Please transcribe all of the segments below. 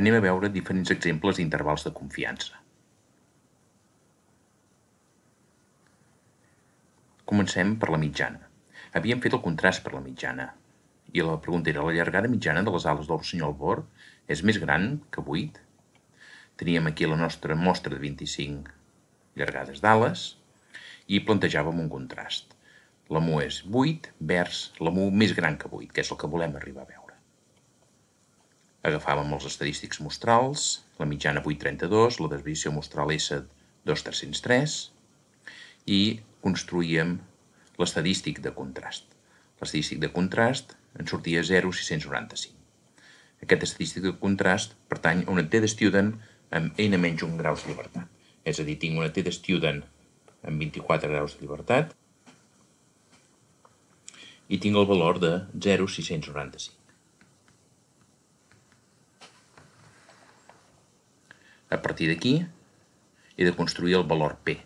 Anem a veure diferents exemples d'intervals de confiança. Comencem per la mitjana. Havíem fet el contrast per la mitjana. I la pregunta era, la llargada mitjana de les ales del rossinyol bord és més gran que 8? Teníem aquí la nostra mostra de 25 llargades d'ales i plantejàvem un contrast. La mu és 8 vers la mu més gran que 8, que és el que volem arribar a veure. Agafàvem els estadístics mostrals, la mitjana 8,32, la desviació mostral S 2,303 i construïem l'estadístic de contrast. L'estadístic de contrast en sortia 0,695. Aquest estadístic de contrast pertany a una t-de-student amb n-1 graus de llibertat. És a dir, tinc una t-de-student amb 24 graus de llibertat i tinc el valor de 0,695. A partir d'aquí he de construir el valor P.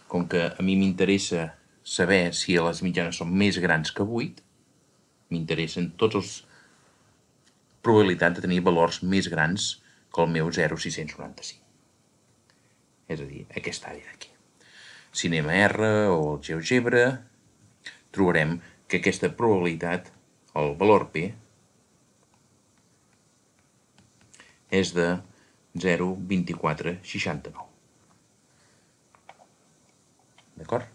Com que a mi m'interessa saber si les mitjanes són més grans que 8, m'interessen totes les probabilitats de tenir valors més grans que el meu 0,695. És a dir, aquesta àrea d'aquí. Si anem a R o al GeoGebra, trobarem que aquesta probabilitat, el valor P, és de 0,2469. D'acord?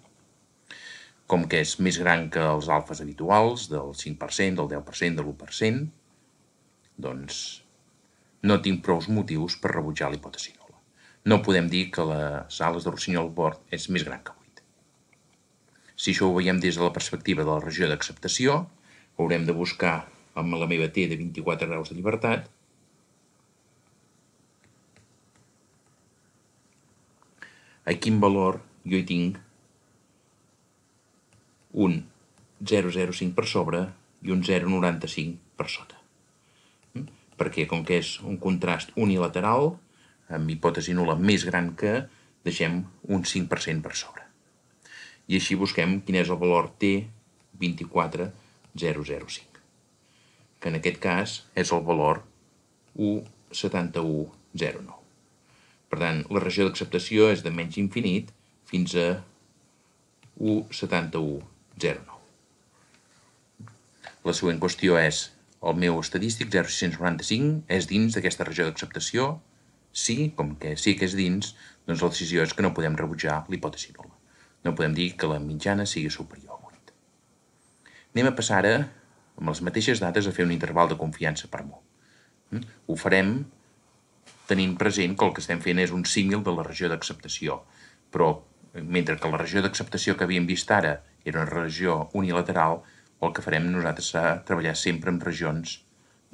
Com que és més gran que els alfes habituals, del 5%, del 10%, de l'1%, doncs no tinc prou motius per rebutjar la hipòtesi nul·la. No podem dir que les ales de rossinyol bord és més gran que 8. Si això ho veiem des de la perspectiva de la regió d'acceptació, haurem de buscar amb la meva T de 24 graus de llibertat a quin valor jo hi tinc un 0,05 per sobre i un 0,95 per sota. Perquè com que és un contrast unilateral, amb hipòtesi nul·la més gran que, deixem un 5% per sobre. I així busquem quin és el valor T24005, que en aquest cas és el valor 1,7109. Per tant, la regió d'acceptació és de menys infinit fins a 1,7109. La següent qüestió és, el meu estadístic 0,695 és dins d'aquesta regió d'acceptació? Sí, com que sí que és dins, doncs la decisió és que no podem rebutjar la hipòtesi nul·la. No podem dir que la mitjana sigui superior a 8. Anem a passar ara, amb les mateixes dades, a fer un interval de confiança per mu. Ho farem tenint present que el que estem fent és un símil de la regió d'acceptació, però mentre que la regió d'acceptació que havíem vist ara era una regió unilateral, el que farem nosaltres serà treballar sempre amb regions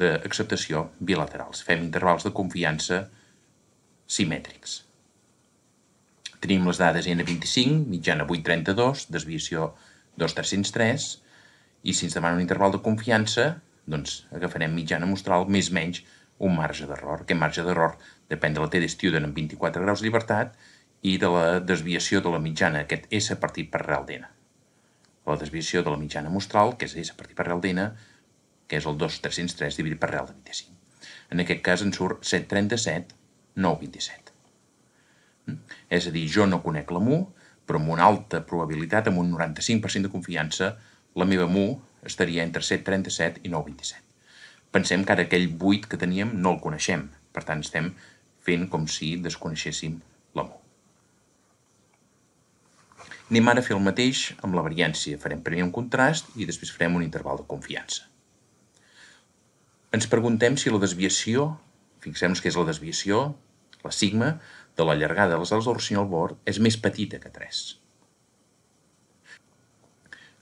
d'acceptació bilaterals. Fem intervals de confiança simètrics. Tenim les dades N25, mitjana 8,32, desviació 2,303, i si ens demana un interval de confiança, doncs agafarem mitjana mostral més menys un marge d'error. Aquest marge d'error depèn de la t-de-student amb 24 graus de llibertat i de la desviació de la mitjana, aquest S partit per arrel d'N. La desviació de la mitjana mostral, que és S partit per arrel d'N, que és el 2,303 dividit per arrel de 25. En aquest cas ens surt 737,927. És a dir, jo no conec la mu, però amb una alta probabilitat, amb un 95% de confiança, la meva mu estaria entre 737 i 927. Pensem que ara aquell 8 que teníem no el coneixem, per tant estem fent com si desconeixéssim la mu. Anem ara a fer el mateix amb la variància. Farem primer un contrast i després farem un interval de confiança. Ens preguntem si la desviació, fixem-nos que és la desviació, la sigma, de la llargada de les ales del rossinyol bord és més petita que 3.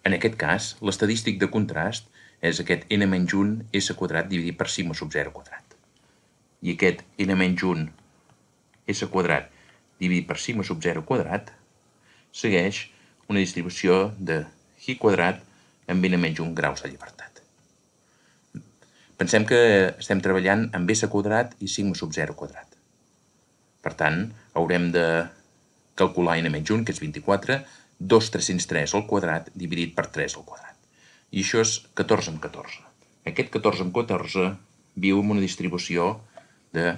En aquest cas, l'estadístic de contrast és aquest n-1 s quadrat dividit per sigma sub 0 quadrat. I aquest n-1 s quadrat dividit per sigma sub 0 quadrat segueix una distribució de hi quadrat amb n-1 graus de llibertat. Pensem que estem treballant amb s quadrat i sigma sub 0 quadrat. Per tant, haurem de calcular n-1, que és 24, 2,303 al quadrat dividit per 3 al quadrat. I això és 14 amb 14. Aquest 14 amb 14 viu en una distribució de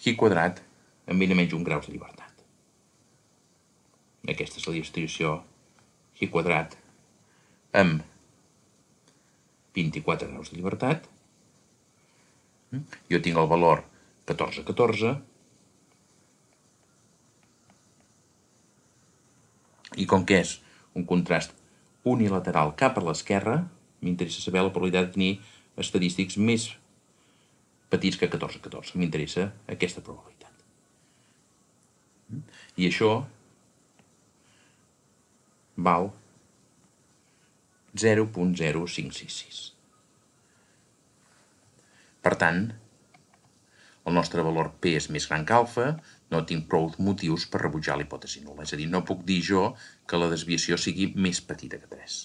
xi quadrat amb n menys 1 graus de llibertat. Aquesta és la distribució xi quadrat amb 24 graus de llibertat. Jo tinc el valor 14, 14, i com que és un contrast unilateral cap a l'esquerra, m'interessa saber la probabilitat de tenir estadístics més petits que 14, 14. M'interessa aquesta probabilitat. I això val 0.0566. Per tant, el nostre valor P és més gran que alfa, no tinc prou motius per rebutjar la hipòtesi nul·la. És a dir, no puc dir jo que la desviació sigui més petita que 3.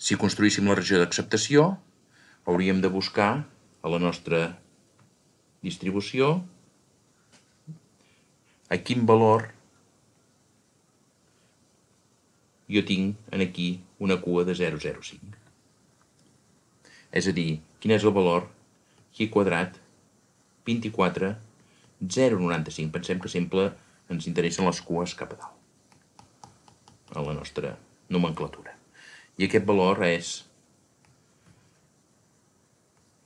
Si construíssim la regió d'acceptació, hauríem de buscar a la nostra distribució a quin valor jo tinc aquí una cua de 0,05. És a dir, quin és el valor xi quadrat 24, 0,95. Pensem que sempre ens interessen les cues cap a dalt a la nostra nomenclatura. I aquest valor és,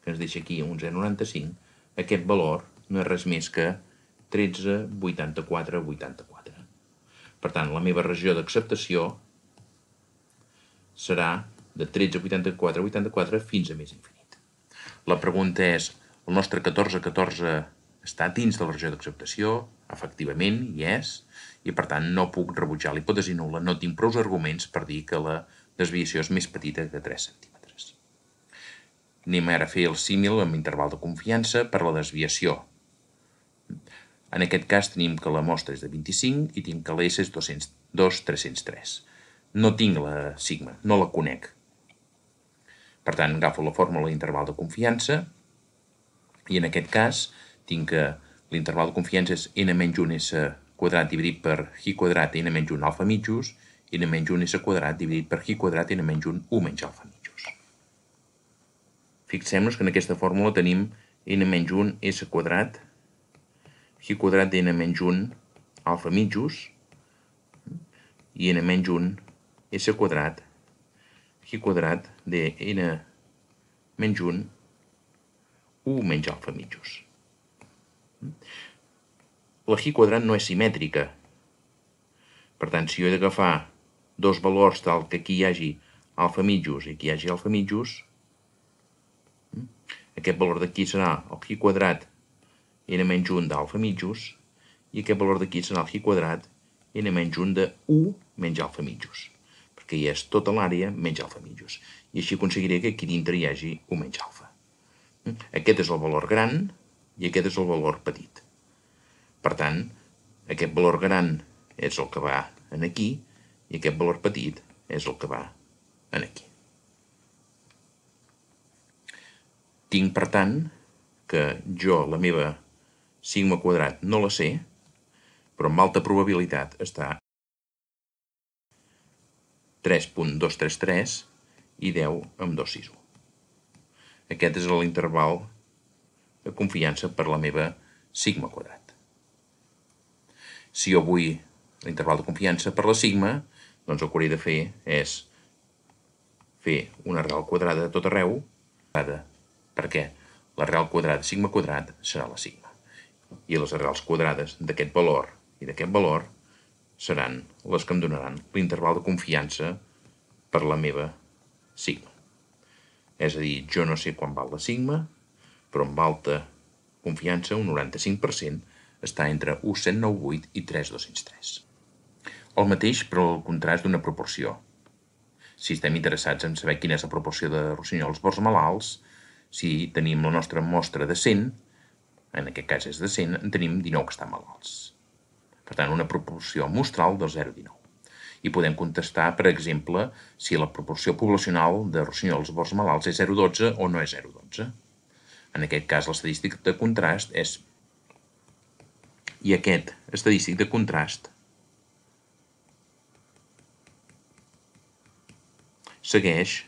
que ens deixa aquí un 0,95, aquest valor no és res més que 13, 84, 84. Per tant, la meva regió d'acceptació serà de 13, 84, 84 fins a més infinit. La pregunta és, el nostre 14, 14 està dins de la regió d'acceptació? Efectivament, hi és, i per tant no puc rebutjar la hipòtesi nul·la, no tinc prou arguments per dir que la desviació és més petita que 3 centímetres. Anem ara a fer el símil amb interval de confiança per la desviació. En aquest cas tenim que la mostra és de 25 i tinc que l'S és 2,303. No tinc la sigma, no la conec. Per tant, agafo la fórmula d'interval de confiança i en aquest cas tinc que l'interval de confiança és n-1s quadrat dividit per xi quadrat n-1 alfa mitjos i n-1s quadrat dividit per xi quadrat n-1 u menys alfa mitjos. Fixem-nos que en aquesta fórmula tenim n-1 s quadrat xi quadrat n-1 alfa mitjos i n-1 s quadrat xi quadrat de n-1 u menys alfa mitjos. La xi quadrat no és simètrica. Per tant, si jo he d'agafar dos valors tal que aquí hi hagi alfa mitjos i aquí hi hagi alfa mitjos, aquest valor d'aquí serà el xi quadrat n-1 d'alfa mitjos i aquest valor d'aquí serà el xi quadrat n-1 de u menys alfa mitjos, perquè hi és tota l'àrea menys alfa mitjos. I així aconseguiré que aquí dintre hi hagi u menys alfa. Aquest és el valor gran i aquest és el valor petit. Per tant, aquest valor gran és el que va en aquí i aquest valor petit és el que va en aquí. Tinc, per tant, que jo la meva sigma quadrat no la sé, però amb alta probabilitat està 3.233 i 10 amb 261. Aquest és l'interval de confiança per la meva sigma quadrat. Si jo vull l'interval de confiança per la sigma, doncs el que hauré de fer és fer una arrel quadrada a tot arreu, perquè l'arrel quadrada de sigma quadrat serà la sigma. I les arrels quadrades d'aquest valor i d'aquest valor seran les que em donaran l'interval de confiança per la meva sigma. És a dir, jo no sé quan val la sigma, però amb alta confiança, un 95%, està entre 1.198 i 3.203. El mateix per al contrast d'una proporció. Si estem interessats en saber quina és la proporció de rossinyols bords malalts, si tenim la nostra mostra de 100, en aquest cas és de 100, en tenim 19 que estan malalts. Per tant, una proporció mostral del 0,19. I podem contestar, per exemple, si la proporció poblacional de rossinyols bords malalts és 0,12 o no és 0,12. En aquest cas, l'estadístic de contrast és... I aquest estadístic de contrast segueix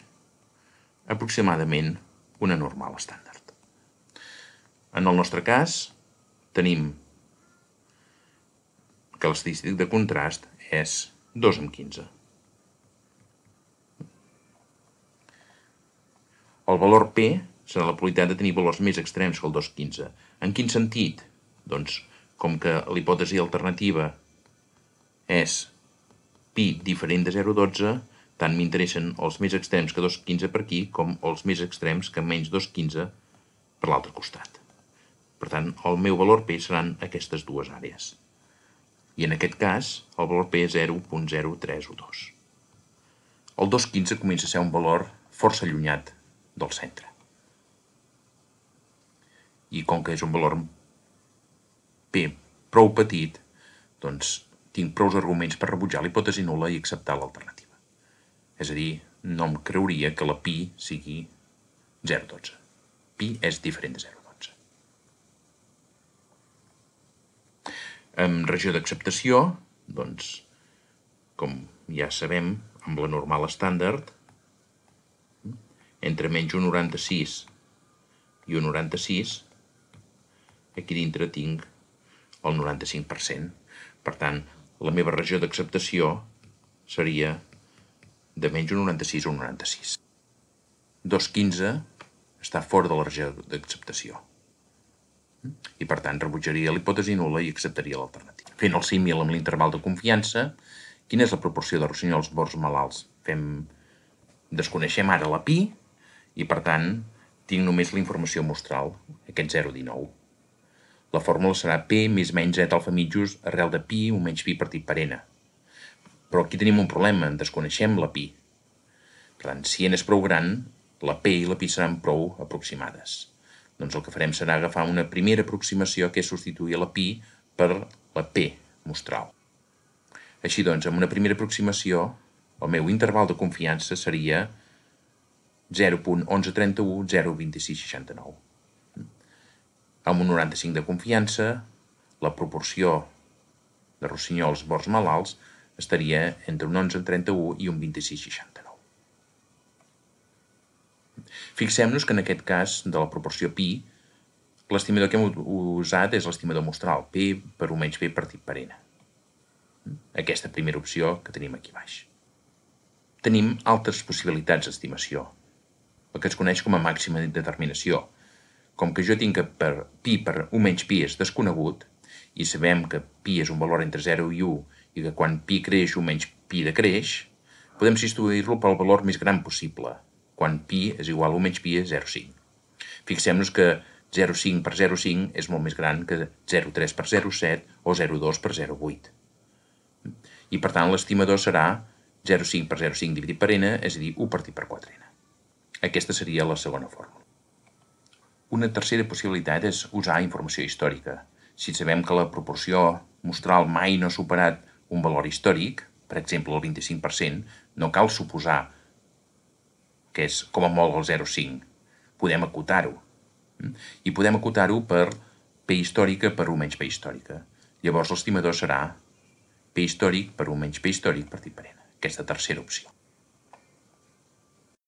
aproximadament una normal estàndard. En el nostre cas, tenim que l'estadístic de contrast és 2/15. El valor P serà la probabilitat de tenir valors més extrems que el 2/15. En quin sentit? Doncs, com que la hipòtesi alternativa és pi diferent de 0,12, tant m'interessen els més extrems que 2,15 per aquí com els més extrems que menys 2,15 per l'altre costat. Per tant, el meu valor P seran aquestes dues àrees. I en aquest cas, el valor P és 0,0312. El 2,15 comença a ser un valor força allunyat del centre. I com que és un valor P prou petit, doncs tinc prou arguments per rebutjar la hipòtesi nul·la i acceptar l'alternativa. És a dir, no em creuria que la pi sigui 0,12. Pi és diferent de 0,12. En regió d'acceptació, doncs, com ja sabem, amb la normal estàndard, entre menys 1,96 i 1,96, aquí dintre tinc el 95%. Per tant, la meva regió d'acceptació seria de menys 1,96 a 1,96. 2,15 està fora de la regió d'acceptació. I per tant rebutjaria la hipòtesi nul·la i acceptaria l'alternativa. Fent el símil amb l'interval de confiança, quina és la proporció de rossinyols bords malalts? Desconeixem ara la pi i per tant tinc només la informació mostral, aquest 0,19. La fórmula serà P més menys Z alfa mitjos arrel de pi o menys pi partit per n. Però aquí tenim un problema, desconeixem la pi. Per tant, si n és prou gran, la P i la pi seran prou aproximades. Doncs el que farem serà agafar una primera aproximació que és substituir la pi per la P mostral. Així doncs, amb una primera aproximació, el meu interval de confiança seria 0,1131, 0,2669. Amb un 95 de confiança, la proporció de rossinyols bords malalts estaria entre un 11,31 i un 26,69. Fixem-nos que en aquest cas de la proporció pi, l'estimador que hem usat és l'estimador mostral, P per 1 menys P partit per n. Aquesta primera opció que tenim aquí baix. Tenim altres possibilitats d'estimació, el que es coneix com a màxima determinació. Com que jo tinc que pi per 1 menys pi és desconegut, i sabem que pi és un valor entre 0 i 1, i que quan pi creix 1 menys pi decreix, podem substituir-lo pel valor més gran possible, quan pi és igual a 1 menys pi és 0,5. Fixem-nos que 0,5 per 0,5 és molt més gran que 0,3 per 0,7 o 0,2 per 0,8. I per tant l'estimador serà 0,5 per 0,5 dividit per n, és a dir, 1 partit per 4n. Aquesta seria la segona fórmula. Una tercera possibilitat és usar informació històrica. Si sabem que la proporció mostral mai no ha superat un valor històric, per exemple el 25%, no cal suposar que és com a molt el 0,5. Podem acotar-ho. I podem acotar-ho per P històrica per 1 menys P històrica. Llavors l'estimador serà P històric per 1 menys P històric partit per n. Aquesta tercera opció.